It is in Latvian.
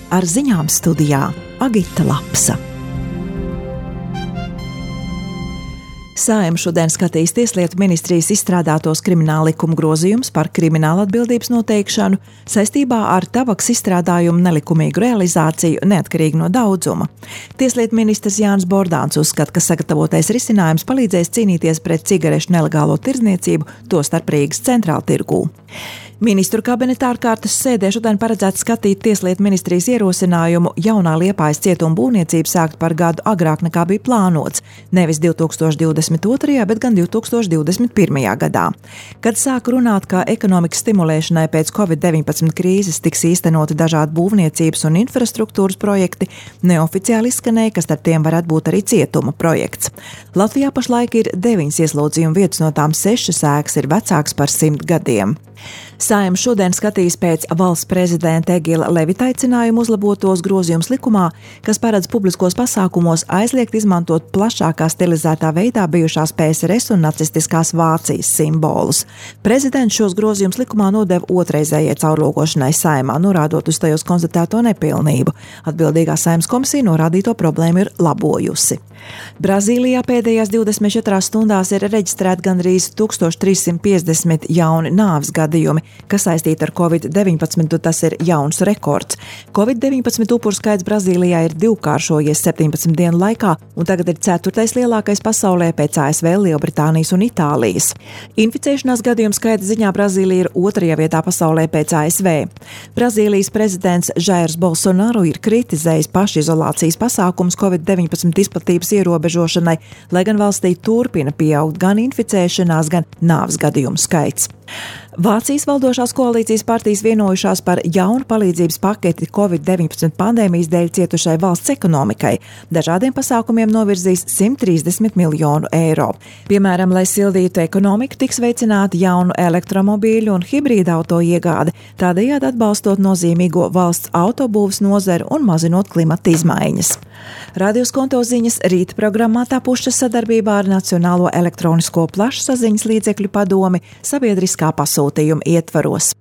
Ar ziņām studijā Agita Lapsa. Saeima šodien skatīs Tieslietu ministrijas izstrādātos krimināla likuma grozījumus par krimināla atbildības noteikšanu saistībā ar tabaks izstrādājumu nelikumīgu realizāciju neatkarīgi no daudzuma. Tieslietu ministrs Jānis Bordāns uzskata, ka sagatavotais risinājums palīdzēs cīnīties pret cigarešu nelegālo tirdzniecību, tostarp Rīgas centrāltirgū. Ministru kabineta ārkārtas sēdē šodien paredzēts skatīt Tieslietu ministrijas ierosinājumu jaunā Liepājas cietuma būvniecību sākt par gadu agrāk nekā bija plānots, nevis 2022. bet gan 2021. gadā. Kad sāk runāt, kā ekonomikas stimulēšanai pēc Covid-19 krīzes tiks īstenoti dažādi būvniecības un infrastruktūras projekti, neoficiāli izskanēja, ka starp tiem varētu būt arī cietuma projekts. Latvijā pašlaik ir 9 ieslodzījumu vietas, no tām 6 ēkas ir vecākas par 100 gadiem. Saeima šodien skatīs pēc valsts prezidenta Egila Levita aicinājumu uzlabotos grozījumus likumā, kas paredz publiskos pasākumos aizliegt izmantot plašākā stilizētā veidā bijušās PSRS un nacistiskās Vācijas simbolus. Prezidents šos grozījumus likumā nodeva otrreizējai caurlūkošanai Saeimā, norādot uz tajos konstatēto nepilnību. Atbildīgā Saeimas komisija norādīto problēmu ir labojusi. Brazīlijā pēdējās 24 stundās ir reģistrēti gandrīz 1350 jauni nāves gadījumi, kas saistīti ar Covid-19, tas ir jauns rekords. Covid-19 upuru skaits Brazīlijā ir divkāršojies 17 dienu laikā, un tagad ir 4. lielākais pasaulē pēc ASV, Lielbritānijas un Itālijas. Inficēšanās gadījumu skaita ziņā Brazīlija ir 2. vietā pasaulē pēc ASV. Brazīlijas prezidents Jairs Bolsonaro ir kritizējis pašizolācijas pasākumus Covid-19 izplatības ierobežošanai, lai gan valstī turpina pieaugt gan inficēšanās, gan nāves gadījumu skaits. Vācijas valdošās koalīcijas partijas vienojušās par jaunu palīdzības paketi Covid-19 pandēmijas dēļ cietušai valsts ekonomikai. Dažādiem pasākumiem novirzīs 130 miljonu eiro. Piemēram, lai sildītu ekonomiku, tiks veicināta jaunu elektromobīļu un hibrīda auto iegāde, tādējādi atbalstot nozīmīgo valsts autobūves nozaru un mazinot klimata izmaiņas. Radio Skonto ziņas rīta programmā tapušas sadarbībā ar Nacionālo elektronisko plašsaziņas līdzekļu padomi sabiedriskā pasūtījuma ietvaros.